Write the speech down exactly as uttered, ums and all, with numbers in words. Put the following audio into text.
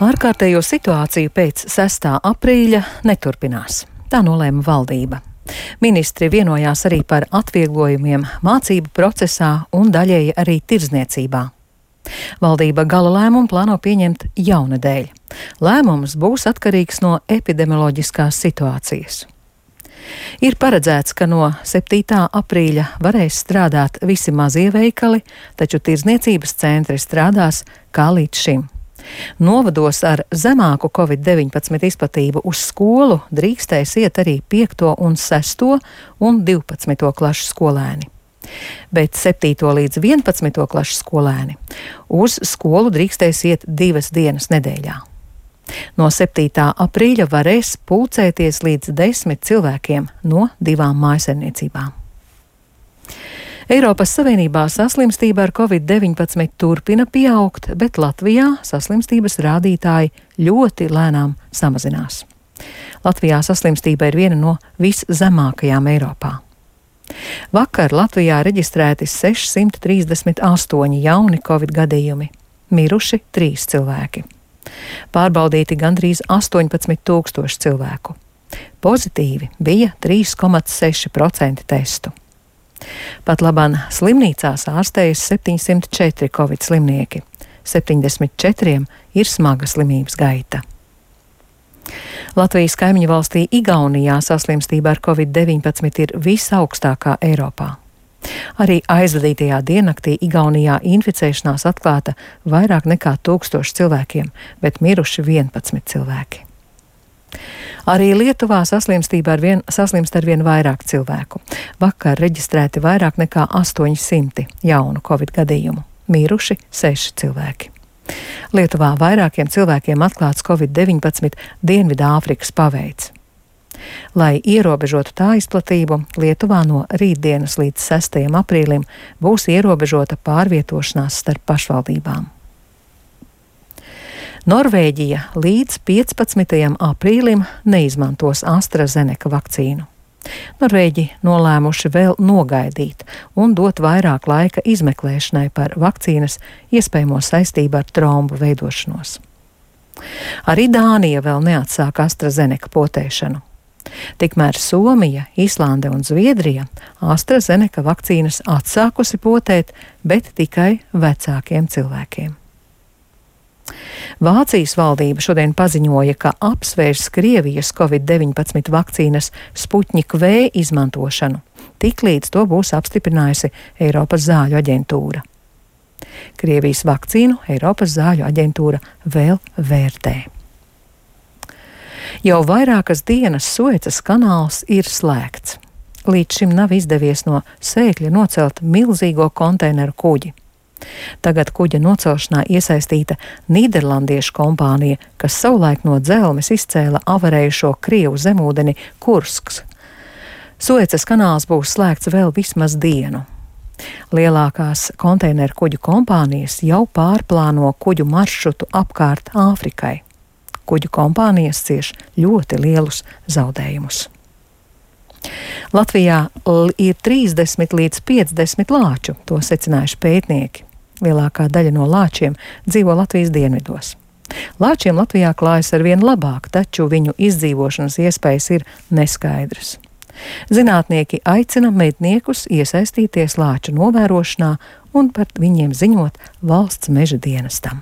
Ārkārtējo situāciju pēc sestā aprīļa neturpinās. Tā nolēma valdība. Ministri vienojās arī par atvieglojumiem mācību procesā un daļēji arī tirdzniecībā. Valdība gala lēmumu plāno pieņemt jaunadēļ. Lēmums būs atkarīgs no epidemioloģiskās situācijas. Ir paredzēts, ka no septītā aprīļa varēs strādāt visi mazie veikali, taču tirdzniecības centri strādās kā līdz šim. Novados ar zemāku covid deviņpadsmit izplatību uz skolu drīkstēs iet arī piekto un sesto un divpadsmito klašu skolēni. Bet septīto līdz vienpadsmito klašu skolēni uz skolu drīkstēs iet divas dienas nedēļā. No septītā aprīļa varēs pulcēties līdz desmit cilvēkiem no divām mājsaimniecībām. Eiropas Savienībā saslimstība ar covid deviņpadsmit turpina pieaugt, bet Latvijā saslimstības rādītāji ļoti lēnām samazinās. Latvijā saslimstība ir viena no viszemākajām Eiropā. Vakar Latvijā reģistrēti sešsimt trīsdesmit astoņi jauni covid gadījumi, miruši trīs cilvēki. Pārbaudīti gandrīz astoņpadsmit tūkstoši cilvēku. Pozitīvi bija trīs komats seši procenti testu. Pat labāk slimnīcās ārstējas septiņsimt četri covid slimnieki, septiņdesmit četriem ir smaga slimības gaita. Latvijas kaimiņu valstī Igaunijā saslimstība ar covid deviņpadsmit ir visaugstākā Eiropā. Arī aizvadītajā diennaktī Igaunijā inficēšanās atklāta vairāk nekā tūkstoši cilvēkiem, bet miruši vienpadsmit cilvēki. Arī Lietuvā saslimstība ar vien, saslimst ar vien vairāk cilvēku. Vakar reģistrēti vairāk nekā astoņsimti jaunu covid gadījumu, miruši seši cilvēki. Lietuvā vairākiem cilvēkiem atklāts covid deviņpadsmit Dienvidāfrikas paveids. Lai ierobežotu tā izplatību, Lietuvā no rītdienas līdz sestajam aprīlim būs ierobežota pārvietošanās starp pašvaldībām. Norvēģija līdz piecpadsmitajam aprīlim neizmantos AstraZeneca vakcīnu. Norvēģi nolēmuši vēl nogaidīt un dot vairāk laika izmeklēšanai par vakcīnas iespējamo saistību ar trombu veidošanos. Arī Dānija vēl neatsāk AstraZeneca potēšanu. Tikmēr Somija, Islande un Zviedrija AstraZeneca vakcīnas atsākusi potēt, bet tikai vecākiem cilvēkiem. Vācijas valdība šodien paziņoja, ka apsvērs Krievijas covid deviņpadsmit vakcīnas Sputnik V izmantošanu, tiklīdz to būs apstiprinājusi Eiropas zāļu aģentūra. Krievijas vakcīnu Eiropas zāļu aģentūra vēl vērtē. Jau vairākas dienas Suecas kanāls ir slēgts. Līdz šim nav izdevies no sēkļa nocelt milzīgo konteineru kuģi. Tagad kuģa nocelšanā iesaistīta nīderlandiešu kompānija, kas savulaik no dzelmes izcēla avarējušo Krievu zemūdeni Kursks. Suecas kanāls būs slēgts vēl vismaz dienu. Lielākās konteineru kuģu kompānijas jau pārplāno kuģu maršrutu apkārt Āfrikai. Kuģu kompānijas cieš ļoti lielus zaudējumus. Latvijā ir trīsdesmit līdz piecdesmit lāču, to secinājuši pētnieki. Lielākā daļa no lāčiem dzīvo Latvijas dienvidos. Lāčiem Latvijā klājas ar vien labāk, taču viņu izdzīvošanas iespējas ir neskaidras. Zinātnieki aicina medniekus iesaistīties lāču novērošanā un par viņiem ziņot valsts meža dienestam.